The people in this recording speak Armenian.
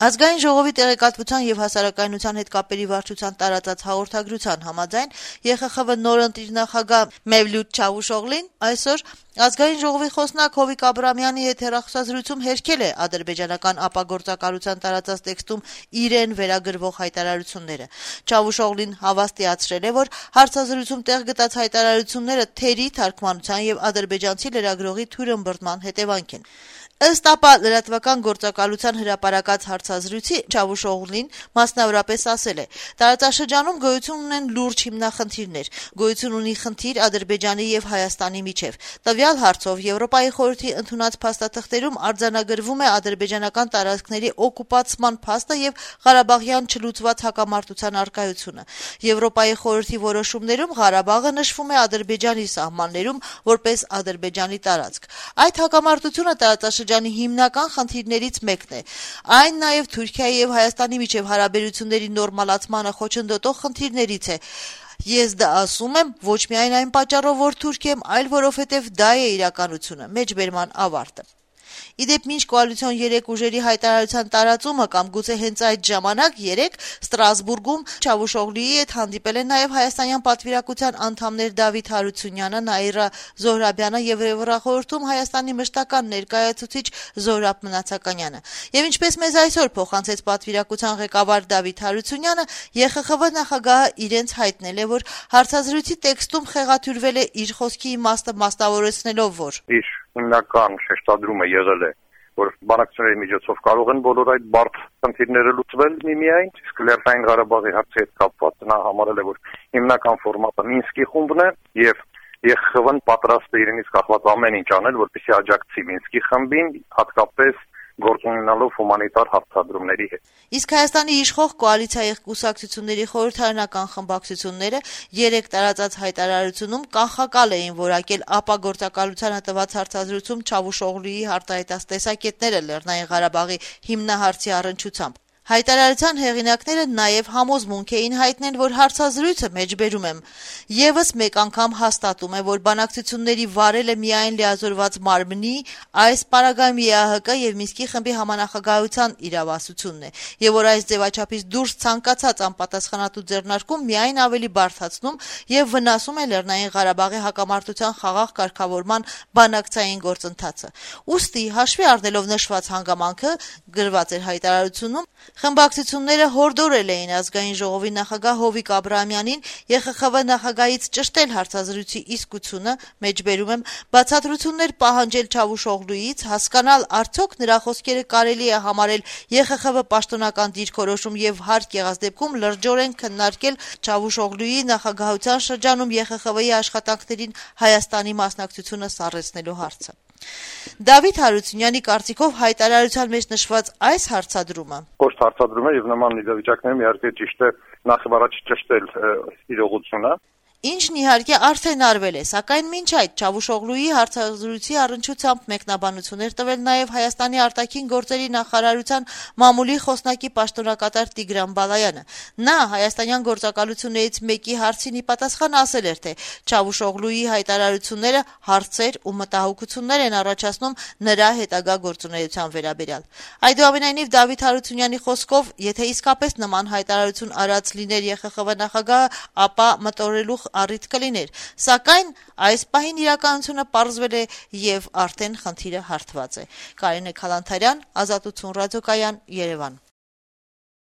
Ազգային ժողովի տեղեկատվության եւ հասարակայնության հետ կապերի վարչության տարածած հաղորդագրության համաձայն ԵԽԽՎ նոր ընտրիր նախագահ Մևլութ Չավուշօղլին այսօր Ազգային ժողովի խոսնակ Հովիկ Աբրահամյանի հետ հեռախոսազրույցում հերքել է ադրբեջանական ապագործակալության տարածած տեքստում իրեն վերագրվող հայտարարությունները։ Չավուշօղլին հավաստիացրել է, որ հարցազրույցում տեղ գտած հայտարարությունները թերի թարգմանության եւ ադրբեջանցի լրագրողի թույլըմբռնման հետևանք են։ Ըստ ԱՊԱ լրատվական գործակալության հրապարակած հարցազրույցի Չավուշօղլին մասնավորապես ասել է. տարածաշրջանում գոյություն ունեն լուրջ հիմնախնդիրներ, գոյություն ունի խնդիր Ադրբեջանի եւ Հայաստանի միջեւ։ Տվյալ հարցով Եվրոպայի խորհրդի ընդունած փաստաթղթերում արձանագրվում է ադրբեջանական տարածքների օկուպացման փաստը եւ Ղարաբաղյան չլուծված հակամարտության առկայությունը։ Եվրոպայի խորհրդի որոշումներում Ղարաբաղը նշվում է Ադրբեջանի սահմաններում որպես Ադրբեջանի տարածք։ Այդ հակամարտությունը տարածաշրջանի հիմնական խնդիրներից մեկն է։ Այն նաև Թուրքիայի եւ Հայաստանի միջև հարաբերությունների նորմալացմանը խոչընդոտող խնդիրներից է։ Ես դա ասում եմ ոչ միայն այն պատճառով, որ թուրք եմ, այլ որովհետև դա է իրականությունը, մեջբերման ավարտը։ Իդեպ մինչ կոալիցիոն 3 ուժերի հայտարարության տարածումը կամ գուցե հենց այդ ժամանակ 3 Ստրասբուրգում Չավուշօղլիի հետ հանդիպել են նաև հայաստանյան պատվիրակության անդամներ Դավիթ Հարությունյանը, Նաիրա Զոհրաբյանը եւ Եվրախորհրդում Հայաստանի մշտական ներկայացուցիչ Զոհրաբ Մնացականյանը։ Եվ ինչպես մեզ այսօր փոխանցեց պատվիրակության ղեկավար Դավիթ Հարությունյանը, ԵԽԽՎ նախագահը իրենց հայտնել է, որ հարցազրույցի տեքստում խեղաթյուրվել է իր խոսքի իմաստը մասնավորեցնելով, որ հիմնական շեշտադրումը եղել է, որ բանակցությունների միջոցով կարող են բոլոր այդ բարդ խնդիրները լուծվել միմիայն, իսկ Լեռնային Ղարաբաղի հարցի հետ կապված նա համարել է, որ հիմնական ֆորմատը Մինսկի խումբն է եւ ԵԽԽՎ-ն պատրաստ է իրենից կախված ամեն ինչ անել, որպեսզի աջակցի Մինսկի խմբին, հատկապես գործ ունենալով հումանիտար հարձադրումների հետ։ Իսկ Հայաստանի իշխող կոալիցիայի կուսակցությունների խորհրդարանական խմբակցությունները 3 տարածած հայտարարությունում կանխակալ էին որակել ապագործակալությանը տված հարցազրույցում Չավուշօղլիի արտահայտած տեսակետները Լեռնային Ղարաբաղի հիմնահարցի առնչությամբ։ Հայտարարության հեղինակները նաև համոզմունք էին հայտնել, որ հարցազրույցը մեջբերում եմ եւս մեկ անգամ հաստատում է, որ բանակցությունների վարելը միայն լիազորված մարմնի, այս պարագայում ԵԱՀԿ եւ Մինսկի խմբի համանախագահության իրավասությունն է, եւ որ այս ձևաչափից դուրս ցանկացած անպատասխանատու ձեռնարկում միայն ավելի բարդացնում եւ վնասում է Լեռնային Ղարաբաղի հակամարտության խաղաղ կարգավորման բանակցային գործընթացը։ Ուստի հաշվի առնելով նշված հանգամանքը գրված էր հայտարարությունում խմբակցությունները հորդորել էին ազգային ժողովի նախագահ Հովիկ Աբրահամյանին ԵԽԽՎ նախագահից ճշտել հարցազրույցի իսկությունը, մեջբերում եմ, բացատրություններ պահանջել Չավուշօղլուից, հասկանալ արդյոք նրա խոսքերը կարելի է համարել ԵԽԽՎ պաշտոնական դիրքորոշում եւ հարկ եղած դեպքում լրջորեն քննարկել Չավուշօղլուի նախագահության շրջանում ԵԽԽՎ-ի աշխատանքներին Հայաստանի մասնակցությունը սառեցնելու հարցը։ Դավիթ Հարությունյանի կարծիքով հայտարարության մեջ նշված այս հարցադրումը Կոշտ հարցադրում է եւ նման իրավիճակներում իհարկե ճիշտ է նախ եւ առաջ ճշտել իրողությունը։ Ինչն իհարկե արդեն արվել է, սակայն մինչ այդ Չավուշօղլուի հարցազրույցի առնչությամբ մեկնաբանություններ տվել նաև Հայաստանի արտաքին գործերի նախարարության մամուլի խոսնակի պաշտոնակատար Տիգրան Բալայանը։ Նա հայաստանյան գործակալություններից մեկի հարցին ի պատասխան ասել էր, թե Չավուշօղլուի հայտարարությունները հարցեր ու մտահոգություններ են առաջացնում նրա հետագա գործունեության վերաբերյալ։ Այդուամենայնիվ Դավիթ Հարությունյանի խոսքով, եթե իսկապես նման հայտարարություն արած լիներ ԵԽԽՎ նախագահը, ապա մտորելու առիթ կլիներ, սակայն այս պահին իրականությունը պարզվել է եւ արդեն խնդիրը հարթված է։ Կարինե Քալանթարյան, Ազատություն ռադիոկայան, Երևան։